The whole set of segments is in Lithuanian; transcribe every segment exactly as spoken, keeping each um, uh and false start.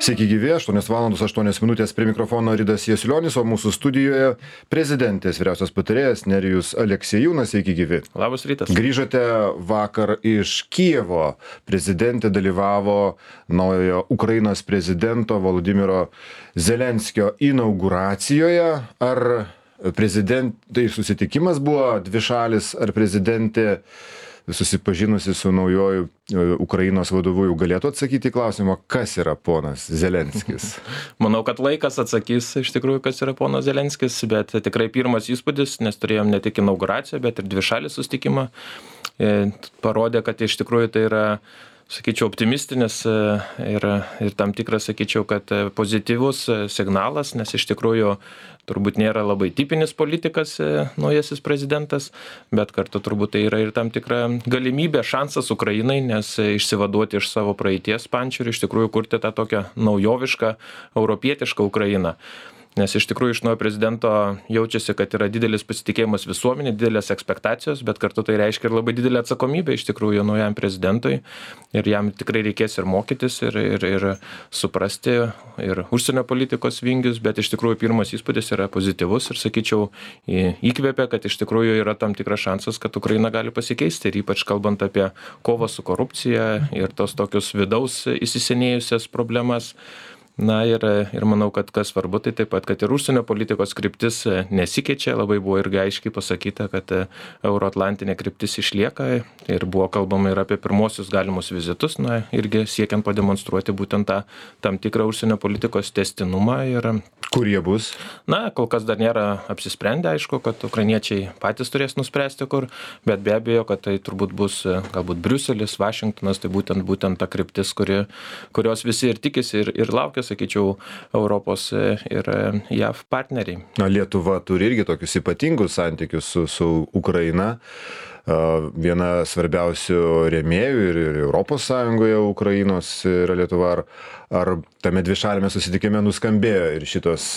Sveiki gyvi, aštuonios valandos aštuonios minutės prie mikrofono Ridas Jasilionis, o mūsų studijoje prezidentės vyriausias patarėjas Nerijus Aleksiejūnas. Sveiki gyvi. Labas rytas. Grįžote vakar iš Kijevo. Prezidentė dalyvavo naujojo Ukrainos prezidento Volodymyro Zelenskio inauguracijoje. Ar prezidentai susitikimas buvo dvišalis, ar prezidentė susipažinusi su naujoju Ukrainos vadovu jau galėtų atsakyti į klausimą, kas yra ponas Zelenskis? Manau, kad laikas atsakys iš tikrųjų, kas yra ponas Zelenskis, bet tikrai pirmas įspūdis, nes turėjom ne tik inauguraciją, bet ir dvišalį susitikimą, parodė, kad iš tikrųjų tai yra, sakyčiau, optimistinis ir, ir tam tikras, sakyčiau, kad pozityvus signalas, nes iš tikrųjų turbūt nėra labai tipinis politikas naujasis prezidentas, bet kartu turbūt tai yra ir tam tikra galimybė, šansas Ukrainai, nes išsivaduoti iš savo praeities pančių ir iš tikrųjų kurti tą tokią naujovišką, europietišką Ukrainą. Nes iš tikrųjų iš naujo prezidento jaučiasi, kad yra didelis pasitikėjimas visuomenė, didelės ekspektacijos, bet kartu tai reiškia ir labai didelė atsakomybė iš tikrųjų naujam prezidentui. Ir jam tikrai reikės ir mokytis, ir, ir, ir suprasti, ir užsienio politikos vingius, bet iš tikrųjų pirmas įspūdis yra pozityvus ir, sakyčiau, įkvėpia, kad iš tikrųjų yra tam tikras šansas, kad Ukraina gali pasikeisti. Ir ypač kalbant apie kovą su korupcija ir tos tokius vidaus įsisenėjusias problemas. Na ir, ir manau, kad kas svarbu, tai taip pat, kad ir užsienio politikos kryptis nesikeičia, labai buvo irgi aiškiai pasakyta, kad euroatlantinė kryptis išlieka ir buvo kalbama ir apie pirmosius galimus vizitus, na irgi siekiant pademonstruoti būtent tą tam tikrą užsienio politikos tęstinumą. Ir kur jie bus? Na, kol kas dar nėra apsisprendę, aišku, kad ukrainiečiai patys turės nuspręsti kur, bet be abejo, kad tai turbūt bus galbūt Briuselis, Vašingtonas, tai būtent, būtent ta kryptis, kuri, kurios visi ir tikisi ir, ir laukia, sakyčiau, Europos ir J A V partneriai. Na, Lietuva turi irgi tokius ypatingus santykius su, su Ukraina. Viena svarbiausių rėmėjų ir, ir Europos Sąjungoje Ukrainos yra Lietuva. Ar, ar tame dvišalėme susitikime nuskambėjo ir šitos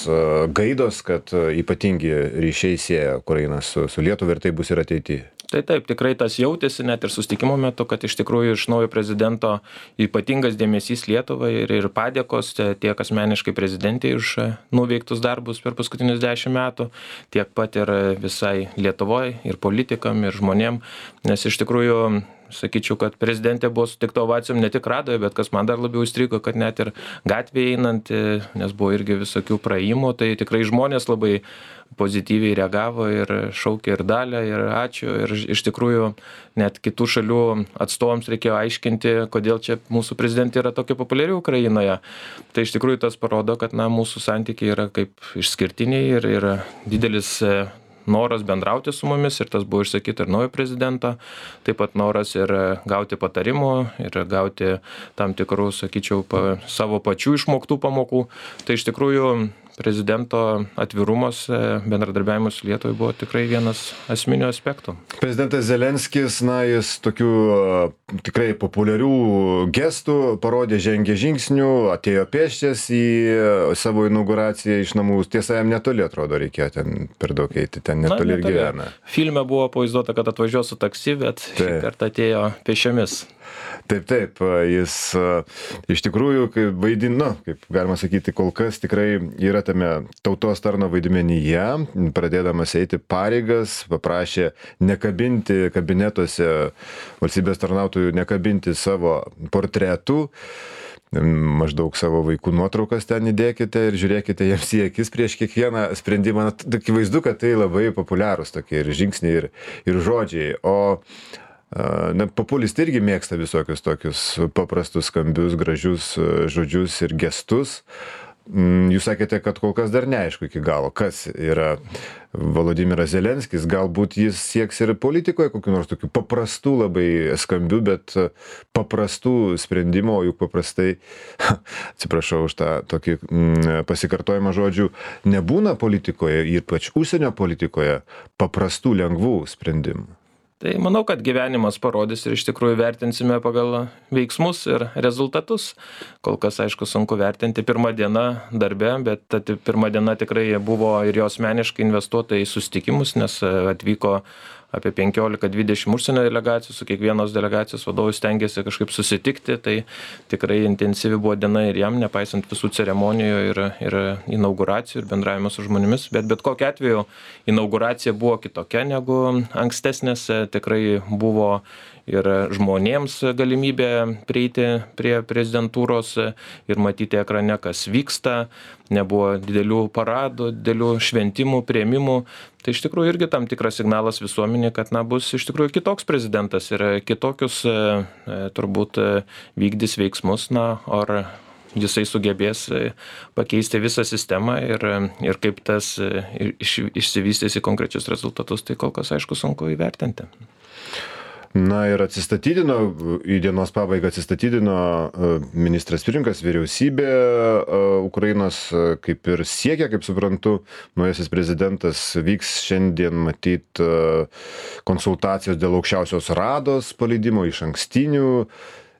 gaidos, kad ypatingi ryšiai sieja Ukrainą su, su Lietuva ir tai bus ir ateityje? Tai taip, tikrai tas jautėsi net ir susitikimo metu, kad iš tikrųjų iš naujo prezidento ypatingas dėmesys Lietuvai ir, ir padėkos tiek asmeniškai prezidentei už nuveiktus darbus per paskutinius dešimt metų, tiek pat ir visai Lietuvoje, ir politikam, ir žmonėm, nes iš tikrųjų sakyčiau, kad prezidentė buvo sutikta ovacijom ne tik Radoje, bet kas man dar labiau įstrigo, kad net ir gatvėje einant, nes buvo irgi visokių praėjimų, tai tikrai žmonės labai pozityviai reagavo ir šaukė ir dalę, ir ačiū. Ir iš tikrųjų net kitų šalių atstovams reikėjo aiškinti, kodėl čia mūsų prezidentė yra tokia populiari Ukrainoje. Tai iš tikrųjų tas parodo, kad na, mūsų santykiai yra kaip išskirtiniai ir yra didelis noras bendrauti su mumis ir tas buvo išsakyta ir naujo prezidento, taip pat noras ir gauti patarimų ir gauti tam tikrų, sakyčiau, pa, savo pačių išmoktų pamokų. Tai iš tikrųjų prezidento atvirumas, bendradarbiavimas su Lietuvai buvo tikrai vienas esminių aspektų. Prezidentas Zelenskis, na, jis tokių tikrai populiarių gestų parodė, žengė žingsnių, atėjo pėsčias į savo inauguraciją iš namų. Tiesa, jam netoli atrodo, reikėjo ten per daug eiti, ten netoli ir gyvena. Filme buvo pavaizduota, kad atvažiuos su taksi, bet šį kartą atėjo pėsčiomis. Taip, taip, jis iš tikrųjų, kaip vaidino, kaip galima sakyti, kol kas tikrai yra tame tautos tarno vaidmenyje, pradėdamas eiti pareigas, paprašė nekabinti kabinetuose valstybės tarnautojų, nekabinti savo portretų, maždaug savo vaikų nuotraukas ten įdėkite ir žiūrėkite jiems į akis prieš kiekvieną sprendimą. Akivaizdu, kad tai labai populiarūs tokie ir žingsniai, ir, ir žodžiai. O Na, populistai irgi mėgsta visokius tokius paprastus, skambius, gražius žodžius ir gestus. Jūs sakėte, kad kol kas dar neaišku iki galo, kas yra Volodymyras Zelenskis. Galbūt jis sieks ir politikoje kokių nors tokių paprastų, labai skambių, bet paprastų sprendimų, o juk paprastai, atsiprašau už tą tokį pasikartojimą žodžių, nebūna politikoje, ypač užsienio politikoje, paprastų, lengvų sprendimų. Tai manau, kad gyvenimas parodys ir iš tikrųjų vertinsime pagal veiksmus ir rezultatus. Kol kas, aišku, sunku vertinti pirmą dieną darbe, bet ta pirma diena tikrai buvo ir jo asmeniškai investuota į susitikimus, nes atvyko apie penkiolika dvidešimt užsienio delegacijų, su kiekvienos delegacijos vadovu stengiasi kažkaip susitikti, tai tikrai intensyvi buvo diena ir jam, nepaisant visų ceremonijų ir, ir inauguracijų ir bendravimo su žmonėmis, bet bet kokiu atveju inauguracija buvo kitokia negu ankstesnės, tikrai buvo ir žmonėms galimybė prieiti prie prezidentūros ir matyti ekrane, kas vyksta, nebuvo didelių paradų, didelių šventimų, priėmimų. Tai iš tikrųjų irgi tam tikras signalas visuomenė, kad na, bus iš tikrųjų kitoks prezidentas ir kitokius turbūt vykdys veiksmus, na, ar jisai sugebės pakeisti visą sistemą ir, ir kaip tas iš, išsivystys į konkrečius rezultatus, tai kol kas aišku sunku įvertinti. Na ir atsistatydino, į dienos pabaigą atsistatydino ministras pirmininkas, vyriausybė Ukrainos, kaip ir siekia, kaip suprantu, naujasis prezidentas. Vyks šiandien matyt konsultacijos dėl aukščiausios rados paleidimo, iš ankstinių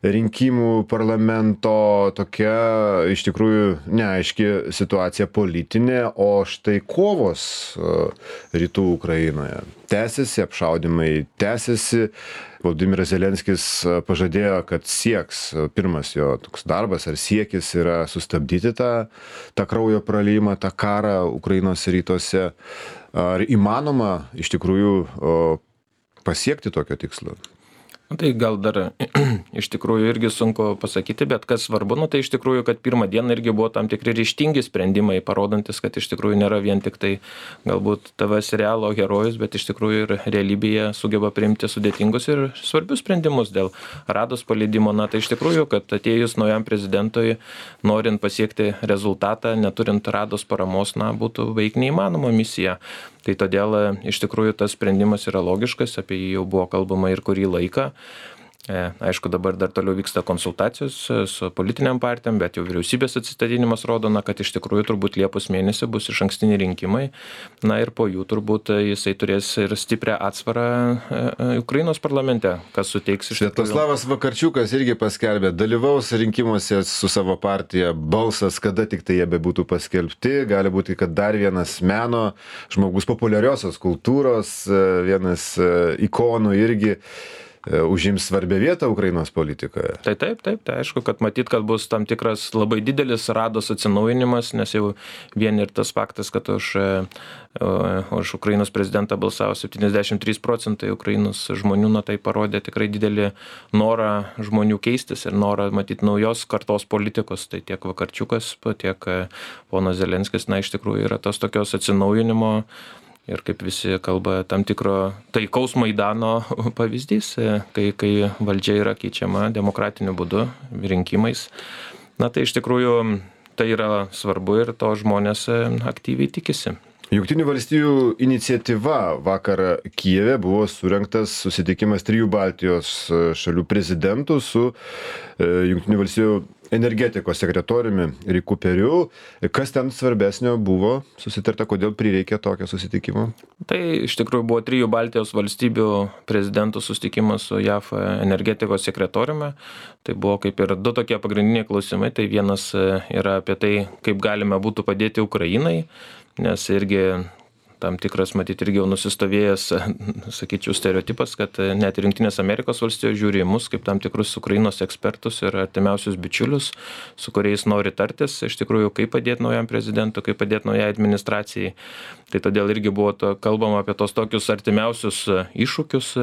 rinkimų parlamento, tokia iš tikrųjų neaiški situacija politinė, o štai kovos rytų Ukrainoje tęsiasi, apšaudymai tęsiasi. Volodymyras Zelenskis pažadėjo, kad sieks, pirmas jo toks darbas ar siekis yra sustabdyti tą, tą kraujo praliejimą, tą karą Ukrainos rytuose. Ar įmanoma iš tikrųjų pasiekti tokio tikslo? Tai gal dar iš tikrųjų irgi sunku pasakyti, bet kas svarbu, nu, tai iš tikrųjų, kad pirmą dieną irgi buvo tam tikri ryžtingi sprendimai, parodantis, kad iš tikrųjų nėra vien tik tai galbūt T V serialo herojus, bet iš tikrųjų ir realybėje sugeba priimti sudėtingus ir svarbius sprendimus dėl rados paleidimo. Na, tai iš tikrųjų, kad atėjus naujam prezidentui, norint pasiekti rezultatą, neturint rados paramos, na, būtų beveik neįmanoma misija. Tai todėl iš tikrųjų tas sprendimas yra logiškas, apie jį jau buvo kalbama ir kurį laiką. Aišku, dabar dar toliau vyksta konsultacijos su politiniam partijom, bet jau vyriausybės atsistatydinimas rodo, na, kad iš tikrųjų turbūt Liepos mėnesį bus išankstiniai rinkimai. Na ir po jų turbūt jisai turės ir stiprią atsvarą Ukrainos parlamente, kas suteiks iš tikrųjų. Sviatoslavas Vakarčiukas irgi paskelbė, dalyvaus rinkimuose su savo partija Balsas, kada tik tai jie bebūtų paskelbti. Gali būti, kad dar vienas meno žmogus, populiariosios kultūros, vienas ikonų irgi užims svarbią vietą Ukrainos politikoje. Tai taip, taip, tai aišku, kad matyt, kad bus tam tikras labai didelis rados atsinaujinimas, nes jau vien ir tas faktas, kad už, už Ukrainos prezidentą balsavo septyniasdešimt trys procentai Ukrainos žmonių, na tai parodė tikrai didelį norą žmonių keistis ir norą matyti naujos kartos politikos. Tai tiek Vakarčiukas, tiek ponas Zelenskis, na iš tikrųjų yra tos tokios atsinaujinimo ir kaip visi kalba, tam tikro taikaus Maidano pavyzdys, kai, kai valdžia yra keičiama demokratiniu būdu, rinkimais. Na tai iš tikrųjų tai yra svarbu ir to žmonės aktyviai tikisi. Jungtinių valstijų iniciatyva vakar Kijeve buvo surengtas susitikimas trijų Baltijos šalių prezidentų su Jungtinių valstijų energetikos sekretoriumi Riku Periu. Kas ten svarbesnio buvo susitarta, kodėl prireikė tokio susitikimo? Tai iš tikrųjų buvo trijų Baltijos valstybių prezidentų susitikimas su J A F energetikos sekretoriumi. Tai buvo kaip ir du tokie pagrindiniai klausimai. Tai vienas yra apie tai, kaip galime būtų padėti Ukrainai, nes irgi tam tikras, matyti, irgi jau nusistovėjęs, sakyčiau, stereotipas, kad net ir Jungtinės Amerikos valstijos žiūri į mus kaip tam tikrus Ukrainos ekspertus ir artimiausius bičiulius, su kuriais nori tartis, iš tikrųjų, kaip padėti naujam prezidentui, kaip padėti naujai administracijai. Tai todėl irgi buvo to, kalbama apie tos tokius artimiausius iššūkius,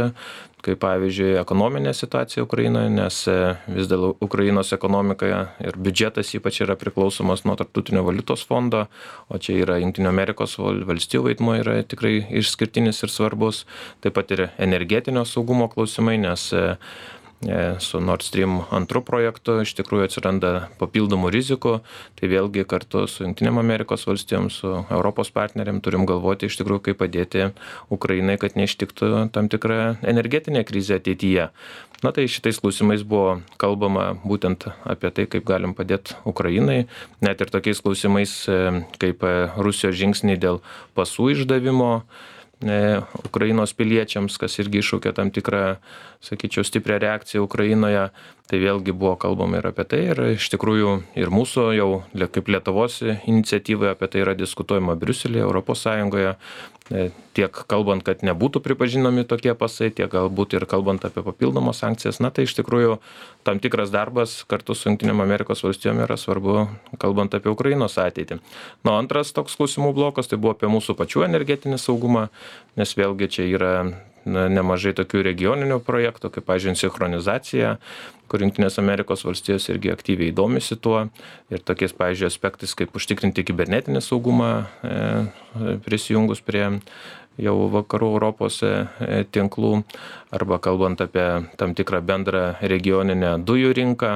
kaip pavyzdžiui ekonominė situacija Ukrainoje, nes vis dėl Ukrainos ekonomika ir biudžetas ypač yra priklausomas nuo Tarptautinio valiutos fondo, o čia yra Jungtinių Amerikos valstijų vaidmuo yra tikrai išskirtinis ir svarbus, taip pat ir energetinio saugumo klausimai, nes su Nord Stream antru projektu iš tikrųjų atsiranda papildomų rizikų, tai vėlgi kartu su Jungtinėm Amerikos valstijom, su Europos partneriam turim galvoti iš tikrųjų, kaip padėti Ukrainai, kad neištiktų tam tikrą energetinę krizę ateityje. Na tai šitais klausimais buvo kalbama būtent apie tai, kaip galim padėti Ukrainai, net ir tokiais klausimais kaip Rusijos žingsniai dėl pasų išdavimo Ukrainos piliečiams, kas irgi iššaukia tam tikrą sakyčiau, stiprią reakciją Ukrainoje, tai vėlgi buvo kalbama ir apie tai, ir iš tikrųjų ir mūsų jau kaip Lietuvos iniciatyvoje apie tai yra diskutuojama Briuselėje, Europos Sąjungoje, tiek kalbant, kad nebūtų pripažinami tokie pasai, tiek galbūt ir kalbant apie papildomas sankcijas. Na tai iš tikrųjų tam tikras darbas kartu su Jungtinėm Amerikos valstijom yra svarbu, kalbant apie Ukrainos ateitį. Nu, antras toks klausimų blokas tai buvo apie mūsų pačių energetinį saugumą, nes vėlgi čia yra na, nemažai tokių regioninių projektų, kaip, pavyzdžiui, sinchronizacija, kur Jungtinės Amerikos valstijos irgi aktyviai domisi tuo ir tokiais, pavyzdžiui, aspektais, kaip užtikrinti kibernetinį saugumą e, prisijungus prie jau vakarų Europos e, tinklų, arba kalbant apie tam tikrą bendrą regioninę dujų rinką,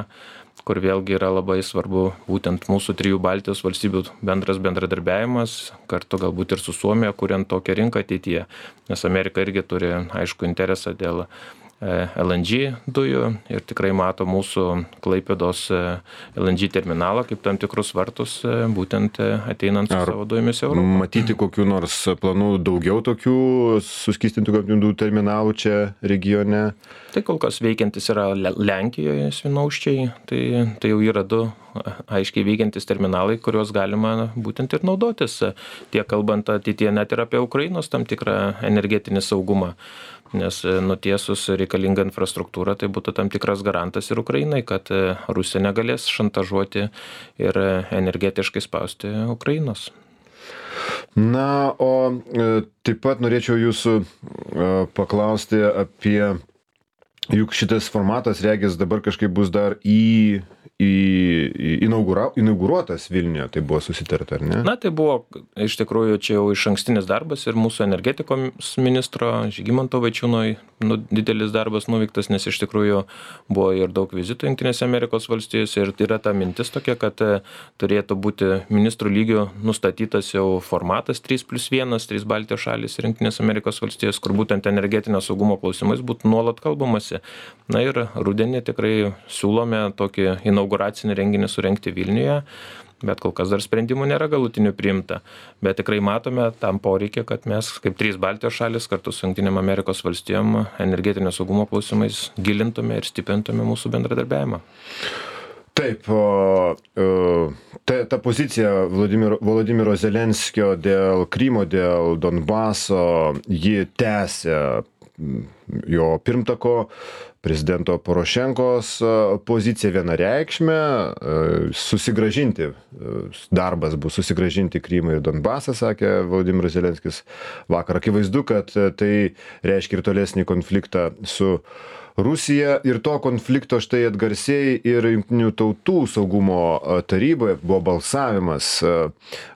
kur vėlgi yra labai svarbu būtent mūsų trijų Baltijos valstybių bendras bendradarbiavimas, kartu galbūt ir su Suomija, kuriant tokią rinką ateityje, nes Amerika irgi turi aišku interesą dėl L N G dujų ir tikrai mato mūsų Klaipėdos L N G terminalą kaip tam tikrus vartus būtent ateinant su savo dujomis į Europą. Matyti kokių nors planų daugiau tokių suskystintų gamtinių dujų terminalų čia regione? Tai kol kas veikiantis yra Lenkijoje Svinauščiai, tai, tai jau yra du aiškiai veikiantis terminalai, kuriuos galima būtent ir naudotis, tiek kalbant ateityje net ir apie Ukrainos tam tikrą energetinį saugumą. Nes nutiesus reikalingą infrastruktūrą, tai būtų tam tikras garantas ir Ukrainai, kad Rusija negalės šantažuoti ir energetiškai spausti Ukrainos. Na, o taip pat norėčiau jūsų paklausti apie, juk šitas formatas, regis, dabar kažkaip bus dar į į inaugura, inauguruotas Vilniuje, tai buvo susitarta, ar ne? Na, tai buvo iš tikrųjų čia jau iš ankstinis darbas ir mūsų energetikos ministro Žygimanto Vaičiūno nu, didelis darbas nuveiktas, nes iš tikrųjų buvo ir daug vizitų Jungtinėse Amerikos valstijose ir yra ta mintis tokia, kad turėtų būti ministrų lygių nustatytas jau formatas trys plius vienas, trys Baltijos šalys ir Jungtinės Amerikos valstijos, kur būtent energetinio saugumo klausimais būtų nuolat kalbamasi. Na ir rudenį tikrai siūlome tokį inauguracinį renginį surengti Vilniuje, bet kol kas dar sprendimų nėra galutinių priimta. Bet tikrai matome tam poreikį, kad mes kaip trys Baltijos šalis kartu su Jungtinėm Amerikos valstijom energetinio saugumo klausimais gilintume ir stiprintume mūsų bendradarbiavimą. Taip, o, ta, ta pozicija Volodymyro, Volodymyro Zelenskio dėl Krymo, dėl Donbaso, ji tęsia jo pirmtako prezidento Porošenkos pozicija vienareikšmė, susigrąžinti, darbas bus susigrąžinti Krymą ir Donbasą, sakė Volodymyras Zelenskis vakar. Akivaizdu, kad tai reiškia ir tolesnį konfliktą su Rusija ir to konflikto štai atgarsėjai ir Jungtinių tautų saugumo taryboje buvo balsavimas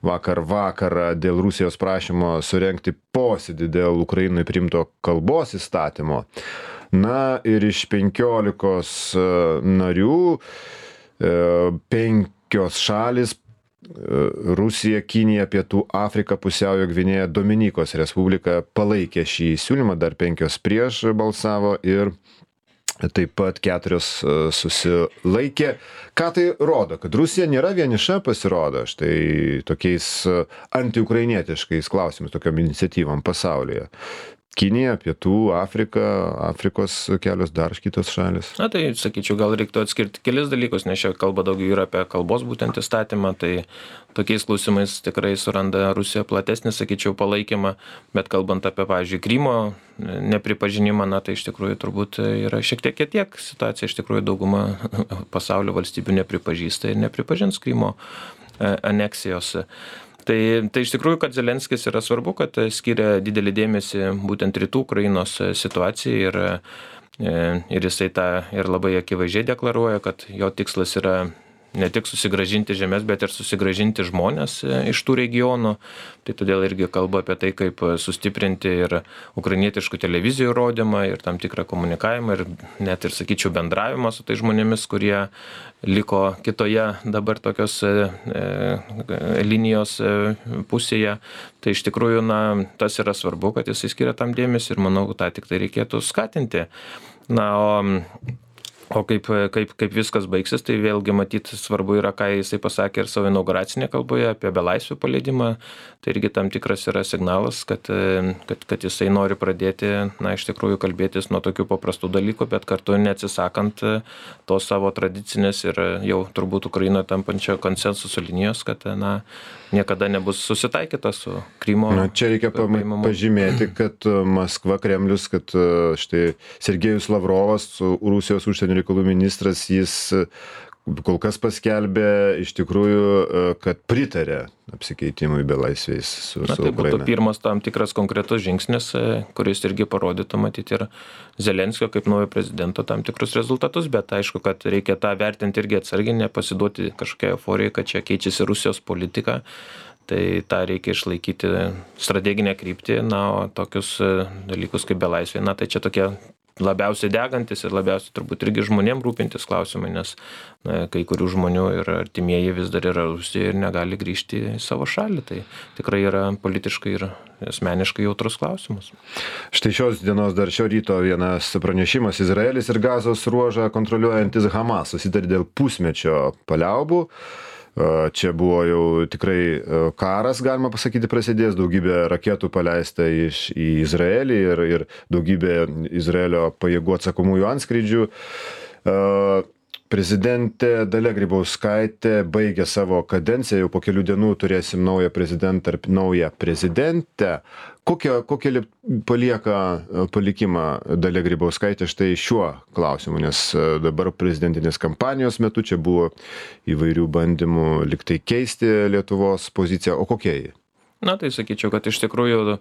vakar vakarą dėl Rusijos prašymo surengti posėdį dėl Ukrainai priimto kalbos įstatymo. Na ir iš penkiolikos narių penkios šalis Rusija, Kinija, Pietų Afrika, Pusiaujo Gvinėja, Dominikos Respublika palaikė šį siūlymą, dar penkios prieš balsavo ir taip pat keturios susilaikė. Ką tai rodo? Kad Rusija nėra vieniša, pasirodo, štai tokiais antiukrainietiškais klausimais, tokiom iniciatyvom pasaulyje. Kinija, Pietų Afrika, Afrikos kelios dar kitos šalis. Na tai, sakyčiau, gal reiktų atskirti kelis dalykus, nes čia kalba daugiau yra apie kalbos būtent įstatymą, tai tokiais klausimais tikrai suranda Rusija platesnį, sakyčiau, palaikymą, bet kalbant apie, pavyzdžiui, Krymo nepripažinimą, na tai iš tikrųjų turbūt yra šiek tiek kitiek situacija, iš tikrųjų dauguma pasaulio valstybių nepripažįsta ir nepripažins Krymo aneksijos. Tai, tai iš tikrųjų, kad Zelenskis yra svarbu, kad skiria didelį dėmesį būtent rytų Ukrainos situacijai ir, ir jisai tą ir labai akivaizdžiai deklaruoja, kad jo tikslas yra ne tik susigrąžinti žemės, bet ir susigrąžinti žmonės iš tų regionų. Tai todėl irgi kalba apie tai, kaip sustiprinti ir ukrainietiškų televizijų rodymą ir tam tikrą komunikavimą ir net ir, sakyčiau, bendravimą su tai žmonėmis, kurie liko kitoje dabar tokios e, linijos e, pusėje. Tai iš tikrųjų, na, tas yra svarbu, kad jisai skiria tam dėmesį ir manau, tą tik tai reikėtų skatinti. Na, o O kaip, kaip, kaip viskas baigsis, tai vėlgi matyti svarbu yra, ką jisai pasakė ir savo inauguracinėje kalboje apie belaisvių paleidimą. Tai irgi tam tikras yra signalas, kad, kad, kad jisai nori pradėti, na, iš tikrųjų kalbėtis nuo tokių paprastų dalykų, bet kartu neatsisakant tos savo tradicinės ir jau turbūt Ukrainoje tampančio konsensuso linijos, kad, na, niekada nebus susitaikyta su Krymo. Na, čia reikia pama- pažymėti, kad Maskva, Kremlius, kad štai Sergejus Lavrovas, Rusijos užsienio reikalų ministras, jis kol kas paskelbė iš tikrųjų, kad pritarė apsikeitimui belaisviais su, Na, su tai Ukraina. būtų pirmas tam tikras konkretus žingsnis, kuris irgi parodytų matyti ir Zelenskio kaip naujo prezidento tam tikrus rezultatus, bet aišku, kad reikia tą vertinti irgi atsargiai, nepasiduoti kažkokiai euforijai, kad čia keičiasi Rusijos politika. Tai tą reikia išlaikyti strateginę kryptį, na, o tokius dalykus kaip belaisviai, na, tai čia tokie labiausiai degantis ir labiausiai turbūt irgi žmonėm rūpintis klausimai, nes na, kai kurių žmonių ir artimieji vis dar yra Rusijoje ir negali grįžti į savo šalį. Tai tikrai yra politiškai ir asmeniškai jautrus klausimas. Štai šios dienos dar šio ryto vienas pranešimas: Izraelis ir Gazos ruožą kontroliuojantis Hamas susitarė dėl pusmečio paliaubų. Čia buvo jau tikrai karas, galima pasakyti, prasidėjęs, daugybė raketų paleista iš, į Izraelį ir, ir daugybė Izraelio pajėgų atsakomųjų antskrydžių. Prezidentė Dalia Grybauskaitė baigė savo kadenciją, jau po kelių dienų turėsim naują prezidentą ar naują prezidentę. Kokią, kokią palieka palikimą Dalia Grybauskaitė štai šiuo klausimu, nes dabar prezidentinės kampanijos metu čia buvo įvairių bandymų liktai keisti Lietuvos poziciją, o kokia ji? Na, tai sakyčiau, kad iš tikrųjų,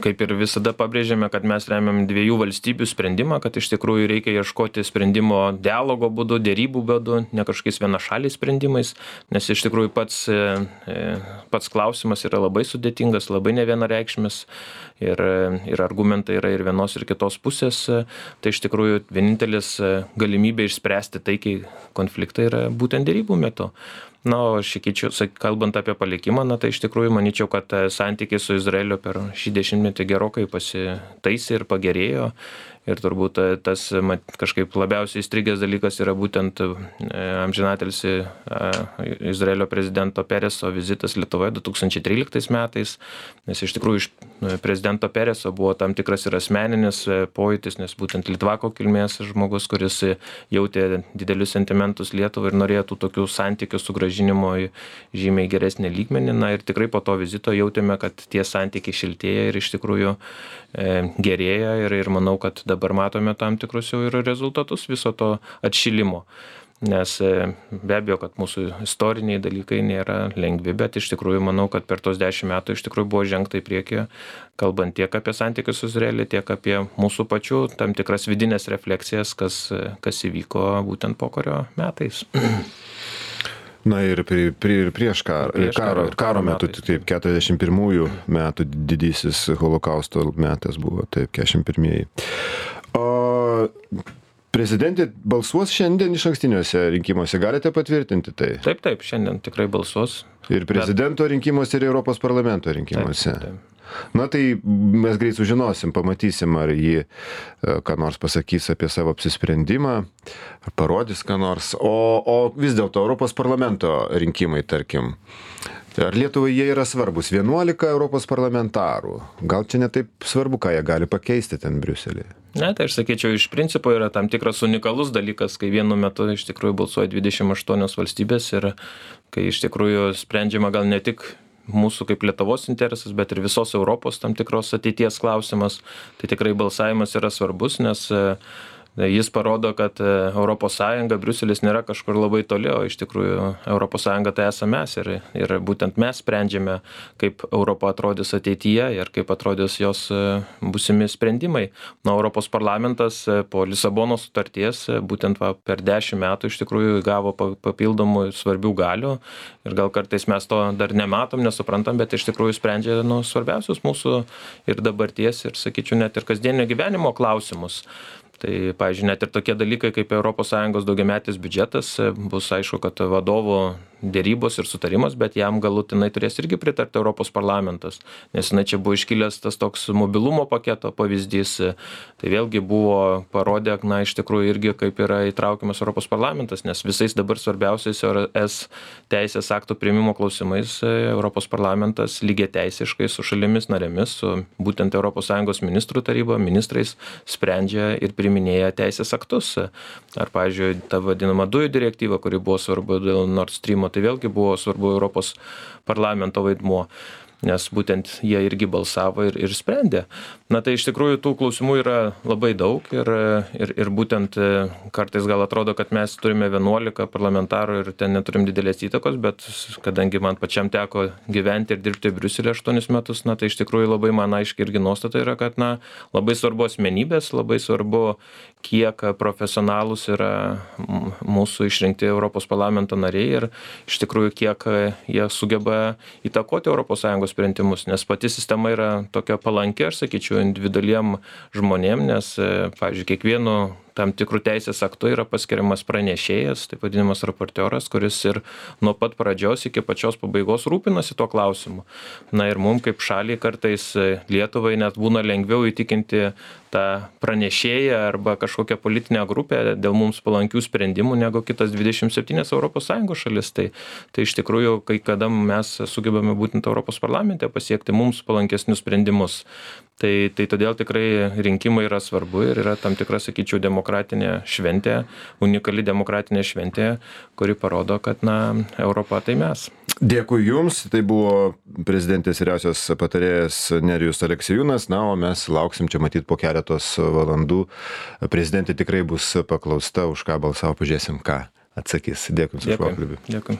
kaip ir visada pabrėžėme, kad mes remiam dviejų valstybių sprendimą, kad iš tikrųjų reikia ieškoti sprendimo dialogo būdu, dėrybų būdu, ne kažkokiais vienašaliais sprendimais, nes iš tikrųjų pats, pats klausimas yra labai sudėtingas, labai nevienareikšmis ir, ir argumentai yra ir vienos ir kitos pusės. Tai iš tikrųjų vienintelis galimybė išspręsti taikiai konfliktą yra būtent dėrybų metu. Na, o šikyčiau, kalbant apie palikimą, na, tai iš tikrųjų manyčiau, kad santykiai su Izraeliu per šį dešimtmetį gerokai pasitaisė ir pagerėjo. Ir turbūt tas mat, kažkaip labiausiai įstrigęs dalykas yra būtent amžinatilsį Izraelio prezidento Pereso vizitas Lietuvoje du tūkstančiai tryliktais metais, nes iš tikrųjų iš prezidento Pereso buvo tam tikras ir asmeninis pojūtis, nes būtent litvako kilmės žmogus, kuris jautė didelius sentimentus Lietuvai ir norėjo tų tokių santykių sugrąžinimo į žymiai geresnį lygmenį. Na ir tikrai po to vizito jautėme, kad tie santykiai šiltėja ir iš tikrųjų gerėja ir, ir manau, kad dabar matome tam tikrus jau ir rezultatus viso to atšilimo. Nes be abejo, kad mūsų istoriniai dalykai nėra lengvi, bet iš tikrųjų manau, kad per tos dešimt metų iš tikrųjų buvo žengta į priekį, kalbant tiek apie santykius su Izraeliu, tiek apie mūsų pačių tam tikras vidinės refleksijas, kas, kas įvyko būtent pokario metais. Na ir pri, pri, prieš karo, prieš karo, karo, karo metu, metais. Taip, keturiasdešimt pirmųjų metų didysis holokausto metas buvo, taip, keturiasdešimt pirmieji. O prezidentė balsuos šiandien išankstiniuose rinkimuose, galite patvirtinti tai? Taip, taip, šiandien tikrai balsuos. Ir prezidento bet... rinkimuose, ir Europos parlamento rinkimuose. Taip, taip. Na tai mes greit sužinosim, pamatysim, ar jį ką nors pasakys apie savo apsisprendimą, parodys ką nors. O, o vis dėlto Europos parlamento rinkimai, tarkim, ar Lietuvai jie yra svarbus? vienuolika Europos parlamentarų. Gal čia ne taip svarbu, ką jie gali pakeisti ten Briuselėje? Ne, tai aš sakyčiau, iš principo yra tam tikras unikalus dalykas, kai vienu metu iš tikrųjų balsuoja dvidešimt aštuonios valstybės ir kai iš tikrųjų sprendžiama gal ne tik mūsų kaip Lietuvos interesas, bet ir visos Europos tam tikros ateities klausimas, tai tikrai balsavimas yra svarbus, nes jis parodo, kad Europos Sąjunga, Briuselis nėra kažkur labai toli, o iš tikrųjų Europos Sąjunga tai esame mes ir, ir būtent mes sprendžiame, kaip Europa atrodys ateityje ir kaip atrodys jos būsimi sprendimai. Na, Europos parlamentas po Lisabonos sutarties būtent va, per dešimt metų iš tikrųjų gavo papildomų svarbių galių ir gal kartais mes to dar nematom, nesuprantam, bet iš tikrųjų sprendžia nu, svarbiausius mūsų ir dabarties ir, sakyčiau, net ir kasdienio gyvenimo klausimus. Tai, pavyzdžiui, net ir tokie dalykai kaip Europos Sąjungos daugiametis biudžetas bus aišku, kad vadovų dėrybos ir sutarimas, bet jam galutinai turės irgi pritarti Europos parlamentas, nes na, čia buvo iškilęs tas toks mobilumo paketo pavyzdys, tai vėlgi buvo parodė, na, iš tikrųjų irgi kaip yra įtraukiamas Europos parlamentas, nes visais dabar svarbiausiais es teisės aktų priėmimo klausimais Europos parlamentas lygiai teisiškai su šalimis narėmis, su būtent Europos Sąjungos ministrų taryba, ministrais sprendžia ir priiminėja teisės aktus. Ar, pavyzdžiui, ta vadinama dujų direktyva, kuri buvo svarbu dėl Nord Streamo, tai vėlgi buvo svarbu Europos parlamento vaidmuo, nes būtent jie irgi balsavo ir, ir sprendė. Na tai iš tikrųjų tų klausimų yra labai daug ir, ir, ir būtent kartais gal atrodo, kad mes turime vienuolika parlamentarų ir ten neturim didelės įtakos, bet kadangi man pačiam teko gyventi ir dirbti Briuselėje aštuonis metus, na tai iš tikrųjų labai man aiškiai irgi nuostata yra, kad na, labai svarbu asmenybės, labai svarbu, kiek profesionalus yra mūsų išrinkti Europos parlamento nariai ir iš tikrųjų kiek jie sugeba įtakoti Europos Sąjungos sprendimus, nes pati sistema yra tokia palanki, aš sakyčiau, individualiem žmonėm, nes, pavyzdžiui, kiekvienu tam tikrų teisės aktų yra paskiriamas pranešėjas, taip vadinamas raportioras, kuris ir nuo pat pradžios iki pačios pabaigos rūpinasi tuo klausimu. Na ir mums kaip šaliai kartais Lietuvai net būna lengviau įtikinti tą pranešėją arba kažkokią politinę grupę dėl mums palankių sprendimų negu kitas dvidešimt septynios Europos Sąjungos šalis. Tai, tai iš tikrųjų, kai kada mes sugebame būtent Europos parlamente pasiekti mums palankesnius sprendimus. Tai, tai todėl tikrai rinkimai yra svarbu ir yra tam tikra, sakyčiau, demokratinė šventė, unikali demokratinė šventė, kuri parodo, kad na, Europa tai mes. Dėkui Jums, tai buvo prezidentės vyriausios patarėjas Nerijus Aleksiejūnas, na, o mes lauksim čia matyti po keletos valandų. Prezidentė tikrai bus paklausta, už ką balsavo, pažiūrėsim, ką atsakys. Dėkui Jums už pokalbį. Dėkui.